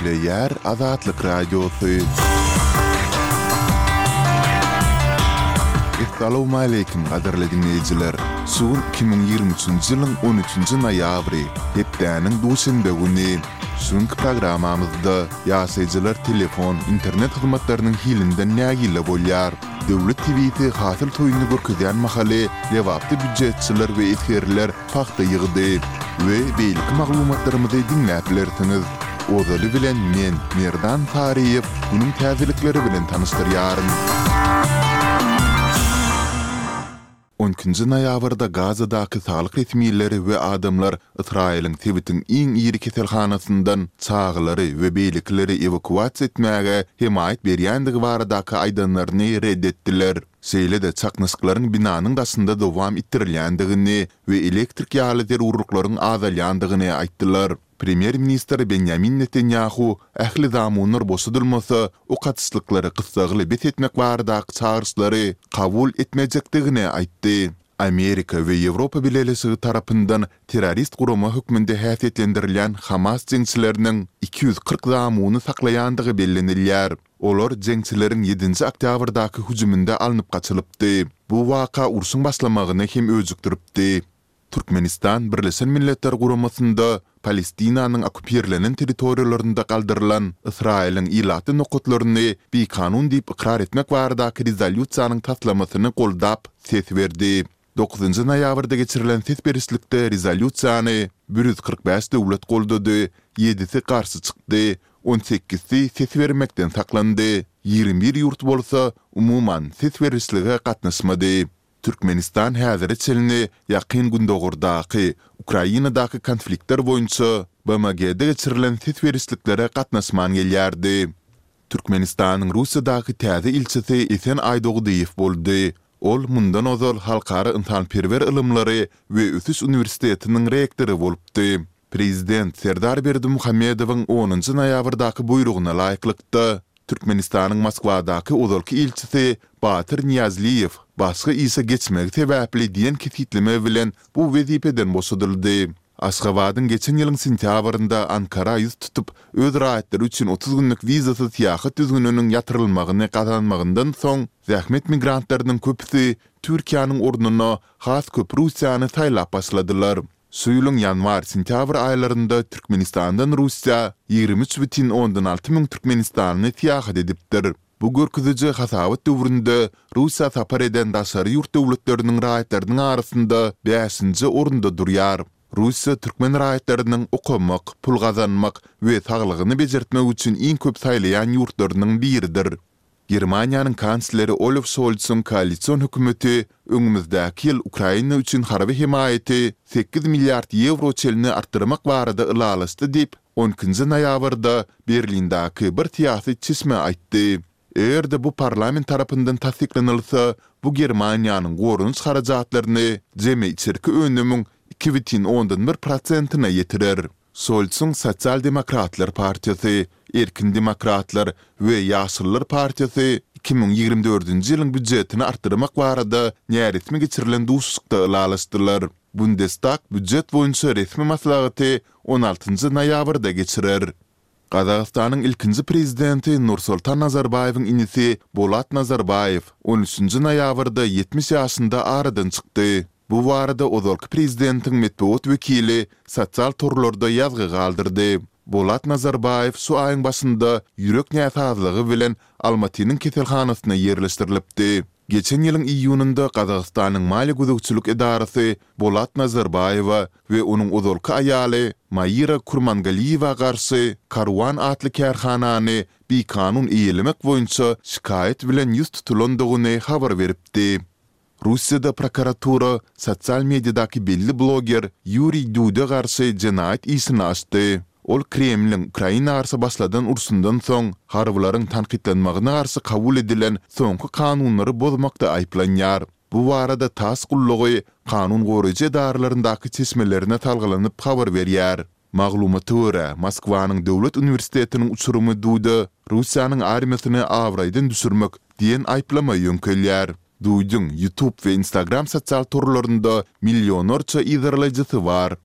Gepleýär Azatlyk Radiosy. Essalawmaleýkim gadyrly diňleýjiler! Şu gün 2023-nji ýylyň on üçünji noýabry, hepdäniň duşenbe güni. Şu günki programmamyzda ýaşaýjylar telefon, internet hyzmatlarynyň hilinden nägile bolýar. Döwlet TW-si hasyl toýuny görkezýän mahaly Lebapda býujetçiler we esgerler pagta ýygdy we beýleki maglumatlarymyzy diňläp bilersiňiz. Ozaly bilen men, Merdan Saryýew, günüň täzelikleri bilen tanyşdyrýaryn. On ikinji noýabrda Gazadaky saglyk resmileri we adamlar Ysraýylyň sebitiň iň iri keselhanasyndan çagalary we beýlekileri ewakuasiýa etmäge hemaýat berýändigi baradaky aýdanlaryny ret etdiler. Şeýle-de çaknyşyklaryň binanyň daşynda dowam etdirilýändigini we elektrik ýaly zerurlyklaryň azalýandygyny aýtdylar. Premýer-ministr Benýamin Netanýahu ähli zamunlar boşadylmasa, ok atyşlyklary gyssagly bes etmek baradaky çagyryşlary kabul etmejekdigini aýtdy. Amerika we Ýewropa Bileleşigi tarapyndan terrorist gurama hökmünde häsiýetlendirilýän Hamas jeňçileriniň 240 zamuny saklaýandygy bellenilýär. Olar jeňçileriň ýedinji oktýabrdaky hüjüminde alnyp gaçylypdy. Bu waka urşuň başlamagyny hem öjükdiripdi. Türkmenistan Birleşen Milletler Guramasynda Palestinanyň okkupirlenen territoriýalarynda galdyrylan Ysraýylyň ilatly nokatlaryny bikanun diýip ykrar etmek baradaky rezolýusiýanyň taslamasyny goldap ses berdi. Dokuzynjy noýabrda geçirilen ses berişlikde rezolýusiýany 145 döwlet goldady, ýedisi garşy çykdy, on sekizsi ses bermekden saklandy, 21 ýurt bolsa umuman ses berişlige gatnaşmady. Türkmenistan häzire çenli Ýakyn Gündogardaky, Ukrainadaky konfliktler boýunça BMG-de geçirilen ses berişliklere gatnaşman gelýärdi. Türkmenistanyň Russiýadaky täze ilçisi Esen Aýdogdyýew boldy. Ol mundan ozal Halkara ynsanperwer ylymlary we ösüş uniwersitetiniň rektory bolupdy. Prezident Serdar Berdimuhamedowyň onunjy noýabrdaky buýrugyna laýyklykda, Türkmenistanyň Moskwadaky ozalky ilçisi Batyr Nyýazliýew başga işe geçmegi sebäpli diýen kesgitleme bilen bu wezipeden boşadyldy. Aşgabadyň geçen ýylyň sentýabrynda Ankara ýüz tutup, öz raýatlary üçin 30 günlük wizasyz syýahat düzgüniniň ýatyrylmagyny gazanmagyndan soň, zähmet migrantlarynyň köpüsi Türkiýäniň ornuna has köp Russiýany saýlap başladylar. Şu ýylyň ýanwar-sentýabr aýlarynda Türkmenistandan Russiýa 23,6 müň türkmenistanly syýahat edipdir. Bu görkeziji hasabat döwründe Russiýa sapar eden daşary ýurt döwletleriniň raýatlarynyň arasynda bäşinji orunda durýar. Russiýa türkmen raýatlarynyň okamak, pul gazanmak we saglygyny bejertmek üçin iň köp saýlaýan ýurtlarynyň biridir. Germaniýanyň kansleri Olaf Şolsyň koalision hökümeti öňümizdäki ýyl Ukraina üçin harby hemaýaty sekiz milliard ýewro çenli artdyrmak barada ylalaşdy diýip, on ikinji noýabrda Berlindäki bir syýasy çeşme aýtdy. Eger-de bu parlament tarapyndan tassyklanylsa, bu Germaniýanyň goranyş harajatlaryny jemi içerki önümiň 2,1 prosentine ýetirer. Şolsuň Sosial-demokratlar partiýasy, Erkin demokratlar we Ýaşyllar partiýasy 2024-nji ýylyň býujetini artdyrmak barada näresmi geçirilen duşuşykda ylalaşdylar. Bundestag býujet boýunça resmi maslahaty on altynjy noýabrda geçirer. Gazagystanyň ilkinji prezidenti Nursultan Nazarbaýewiň inisi Bolat Nazarbaýew on üçünji noýabrda 70 ýaşynda aradan çykdy. Bu barada ozalky prezidentiň metbugat wekili sosial torlarda ýazgy galdyrdy. Bolat Nazarbaýew şu aýyň başynda ýürek näsazlygy bilen Almatynyň keselhanasyna ýerleşdirilipdi. Geçen ýylyň iýunynda Gazagystanyň maliýe gözegçilik edarasy Bolat Nazarbaýewa we onuň ozalky aýaly Maira Kurmangaliýewa garşy Karuan atly kärhanany bikanun eýelemek boýunça şikaýat bilen ýüz tutulandygyny habar beripdi. Russiýada prokuratura sosial mediadaky belli bloger Ýuriý Duda garşy jenaýat işini açdy. Ol Kremliň Ukraina garşy başladan urşundan soň, harbylaryň tankytlanmagyna garşy kabul edilen soňky kanunlary bozmakda aýyplanýar. Bu barada tass gullugy kanun goraýjy edaralaryndaky çeşmelerine salgylanyp habar berýär. Maglumata görä, Moskwanyň döwlet uniwersitetiniň uçurymy Duda Russiýanyň armiýasyny abraýdan düşürmek diýen aýyplama ýöňkelýär. Dudyň YouTube we Instagram sosial torlarynda millionlarça yzarlaýjysy bar.